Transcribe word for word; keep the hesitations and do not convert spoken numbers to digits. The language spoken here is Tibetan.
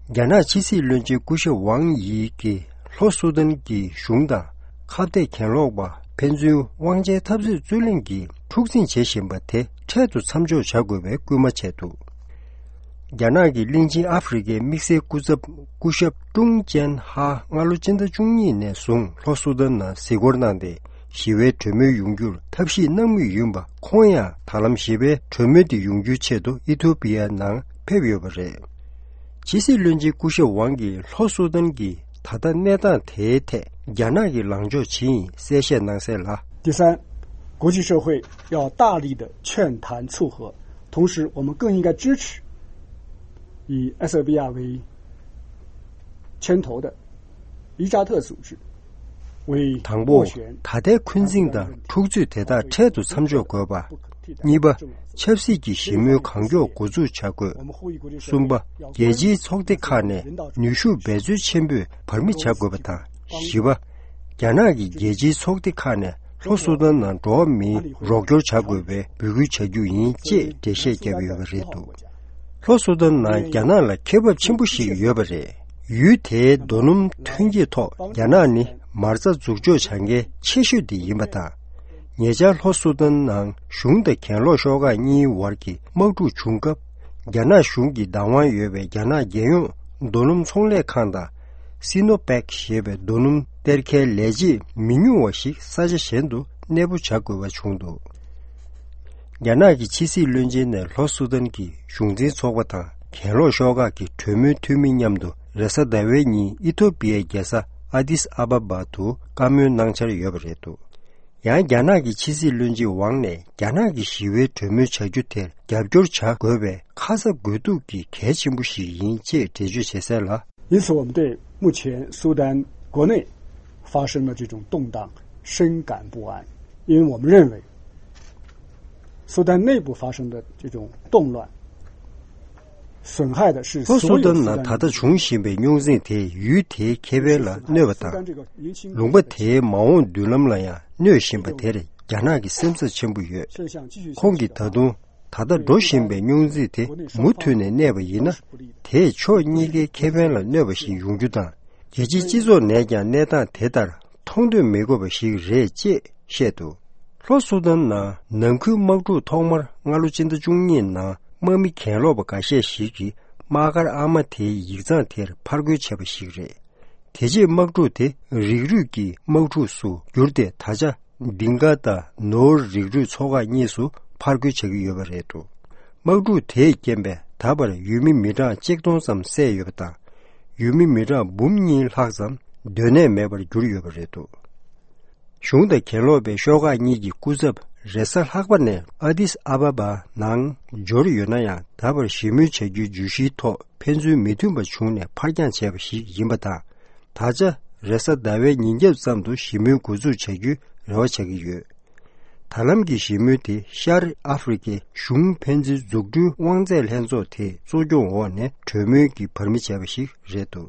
རྒྱ་ནག་ཕྱི་སྲིད་བློན་ཆེན་སྐུ་ཞབས་ཝང་ཡི་གིས་ལྷོ་སུ་དཱན་གྱི་གཞུང་དང་ཁ་གཏད་གྱེན་ལོག་པ་ཕན་ཚུན་དབང་ཆའི་འཐབ་རྩོད་རྩོད་གླེང་གིས་འཁྲུག་འཛིང་བྱེད་བཞིན་པ་དེ་འཕྲལ་དུ་མཚམས་འཇོག་བྱ་དགོས་པའི་སྐུལ་མ་བྱས་འདུག་རྒྱ་ནག་གི་གླིང་ཆེན་ཨ་ཧྥེ་རི་ཁའི་དམིགས་བསལ་སྐུ་ཚབ་སྐུ་ཞབས་ཀྲུང་ཅན་ཧྭ་སྔ་ལོ་སྤྱི་ཟླ་བཅུ་གཉིས་ནས་བཟུང་ལྷོ་སུ་དཱན་ནང་གཟིགས་སྐོར་གནང་སྟེ། ཞི་བའི་གྲོས་མོལ་ཡོང་རྒྱུར་ཐབས་ཤེས་གནང་མུས་ཡིན་པ། ཁོང་ཡང་ད་ལམ་ཞི་བའི་གྲོས་མོལ་དེ་ཡོང་རྒྱུའི་ཆེད་དུ་ཨི་ཐོ་པི་ཡ་ནང་ཕེབས་ཡོད་པ་རེད། ཕྱི་སྲིད་བློན་ཆེན་སྐུ་ཞབས་ཝང་གིས་ལྷོ་སུ་དཱན་གྱི་ད་ལྟ་གནས་སྟངས་དེའི་ཐད་རྒྱ་ནག་གི་ལངས་ཕྱོགས་ཇི་ཡིན་གསལ་བཤད་གནང་གསལ་ལ། 第三，国际社会要大力的劝谈促和，同时我们更应该支持以埃塞俄比亚为牵头的伊扎特组织为斡旋。 དང་པོ། ད་ལྟའི་འཁོན་འཛིང་དང་འཁྲུག་རྩོད་དེ་དག་འཕྲལ་དུ་མཚམས་འཇོག་དགོས་པ། གཉིས་པ། ཆབ་སྲིད་ཀྱི་ཞི་མོལ་གང་མགྱོགས་འགོ་འཛུགས་བྱ་དགོས། གསུམ་པ། རྒྱལ་སྤྱིའི་ཚོགས་སྡེ་ཁག་ནས་ནུས་ཤུགས་འབད་རྩོལ་ཆེན་པོས་བར་མི་བྱ་དགོས་པ་དང་། བཞི་པ། རྒྱ་ནག་གིས་རྒྱལ་སྤྱིའི་ཚོགས་སྡེ་ཁག་ནས་ལྷོ་སུ་དཱན་ནང་འགྲོ་བ་མིའི་རོགས་སྐྱོར་བྱ་དགོས་པའི་འབོད་སྐུལ་བྱ་རྒྱུ་ཡིན་ཅེས་འགྲེལ་བཤད་བརྒྱབ་ཡོད་པ་རེད་འདུག་ལྷོ་སུ་དཱན་ནང་རྒྱ་ནག་ལ་ཁེ་བབ་ཆེན་པོ་ཞིག་ཡོད་པ་རེད། ཡུལ་དེའི་རྡོ་སྣུམ་ཐོན་སྐྱེད་ཐོག་རྒྱ་ནག་ནི་མ་རྩ་འཛུགས་འཇོག་བྱ་མཁན་ཆེ་ཤོས་དེ་ཡིན་པ་དང་། ཉེ་ཆར་ལྷོ་སུ་དཱན་ནང་གཞུང་དང་གྱེན་ལོག་ཤོག་ཁག་གཉིས་བར་གྱི་དམག་འཁྲུག་བྱུང་སྐབས། རྒྱ་ནག་གཞུང་གི་བདག་དབང་ཡོད་པའི་རྒྱ་ནག་རྒྱལ་ཡོངས་རྡོ་སྣུམ་ཚོང་ལས་ཁང་དང་། སི་ནོ་པེག་ཞེས་པའི་རྡོ་སྣུམ་གཏེར་ཁའི་ལས་བྱེད་མི་ཉུང་བ་ཞིག་ས་ཆ་གཞན་དུ་གནས་སྤོ་བྱ་དགོས་པ་བྱུང་འདུག་རྒྱ་ནག་གི་ཕྱི་སྲིད་བློན་ཆེན་ནས་ལྷོ་སུ་དཱན་གྱི་གཞུང་འཛིན་ཚོགས་པ་དང་གྱེན་ལོག་ཤོག་ཁག་གི་གྲོས་མོལ་འཐུས་མི་མཉམ་དུ་རེས་གཟའ་ཟླ་བའི་ཉིན་ཨི་ཐོ་པི་ཡའི་རྒྱལ་ས་ཨ་དིས་ཨ་བ་བ་དུ་བཀའ་མོལ་གནང་འཆར་ཡོད་པ་རེད་འདུག་ཡང་རྒྱ་ནག་གི་ཕྱི་སྲིད་བློན་ཆེན་ཝང་ནས་རྒྱ་ནག་གི་ཞི་བའི་གྲོས་མོལ་བྱ་རྒྱུ་དེར་རྒྱབ་སྐྱོར་བྱ་དགོས་པའི་ཁ་ཚ་དགོས་གཏུགས་ཀྱི་གལ་ཆེན་པོ་ཞིག་ཡིན་ཅེས་འགྲེལ་བརྗོད་བྱེད་གསལ་ལ། 因此，我们对目前苏丹国内发生的这种动荡深感不安，因为我们认为苏丹内部发生的这种动乱损害的是 ལྷོ་སུ་དཱན་ནང་ད་ལྟ་འབྱུང་བཞིན་པའི་རྙོག་འཛིང་དེས་ཡུལ་དེའི་ཁེ་ཕན་ལ་གནོད་པ་དང་། ལུང་པ་དེའི་མ་འོངས་མདུན་ལམ་ལ་ཡང་གནོད་བཞིན་པ་དེར་རྒྱ་ནག་གི་སེམས་འཚབ་ཆེན་པོ་ཡོད། ཁོང་གིས་ད་དུང་ད་ལྟ་འགྲོ་བཞིན་པའི་རྙོག་འཛིང་དེ་མུ་མཐུད་ནས་གནས་པ་ཡིན་ན། དེས་ཕྱོགས་གཉིས་ཀའི་ཁེ་ཕན་ལ་གནོད་པ་ཞིག་ཡོང་རྒྱུ་དང་། རྒྱལ་སྤྱིའི་སྤྱི་ཚོགས་ནས་ཀྱང་གནས་སྟངས་དེ་ལྟར་མཐོང་འདོད་མི་དགོས་པ་ཞིག་རེད་ཅེས་བཤད་འདུག་ལྷོ་སུ་དཱན་ནང་ནང་ཁུལ་དམག་འཁྲུག་ཐོག་མར་སྔ་ལོ་ཕྱི་ཟླ་བཅུ་གཉིས་ནང་དམག་མི་གྱེན་ལོག་པ་འགའ་ཤས་ཤིག་གིས་དམག་སྒར་ཨ་མ་དེའི་ཡིག་ཚང་དེར་ཕར་རྒོལ་བྱས་པ་ཞིག་རེད། དེ་རྗེས་དམག་འཁྲུག་དེ་རིགས་རུས་ཀྱི་དམག་འཁྲུག་སུ་གྱུར་ཏེ། ད་ཆ་དིང་ག་དང་ནོར་རིགས་རུས་ཚོ་ཁག་གཉིས་སུ་ཕར་རྒོལ་བྱ་གི་ཡོད་པ་རེད་འདུག་དམག་འཁྲུག་དེས་རྐྱེན་པས་ད་བར་ཡུལ་མི་མི་གྲངས་ཆིག་སྟོང་ཙམ་བསད་ཡོད་པ་དང་། ཡུལ་མི་མི་གྲངས་འབུམ་གཉིས་ལྷག་ཙམ་སྡོད་གནས་མེད་པར་གྱུར་ཡོད་པ་རེད་འདུག་གཞུང་དང་གྱེན་ལོག་པའི་ཤོག་ཁག་གཉིས་ཀྱི་སྐུ་ཚབ་རེས་གཟའ་ལྷག་པ་ནས་ཨ་དིས་ཨ་བ་བ་ནང་འབྱོར་ཡོད་ན་ཡང་། ད་བར་ཞི་མོལ་བྱ་རྒྱུའི་བརྗོད་གཞིའི་ཐོག་ཕན་ཚུན་མི་མཐུན་པ་བྱུང་ནས་ཕར་འགྱངས་བྱས་པ་ཞིག་ཡིན་པ་དང་། ད་ཆ་རེས་གཟའ་ཟླ་བའི་ཉིན་རྒྱབ་ཙམ་དུ་ཞི་མོལ་འགོ་འཛུགས་བྱ་རྒྱུའི་རེ་བ་བྱ་གི་ཡོད། ད་ལམ་གྱི་ཞི་མོལ་དེ་ཤར་ཨ་ཧྥེ་རི་ཁའི་གཞུང་ཕན་ཚུན་འཛུགས་སྐྲུན་དབང་ཚད་ལྷན་ཚོགས་དེའི་གཙོ་སྐྱོང་འོག་ནས་གྲོས་མོལ་གྱི་བར་མི་བྱས་པ་ཞིག་རེད་འདུག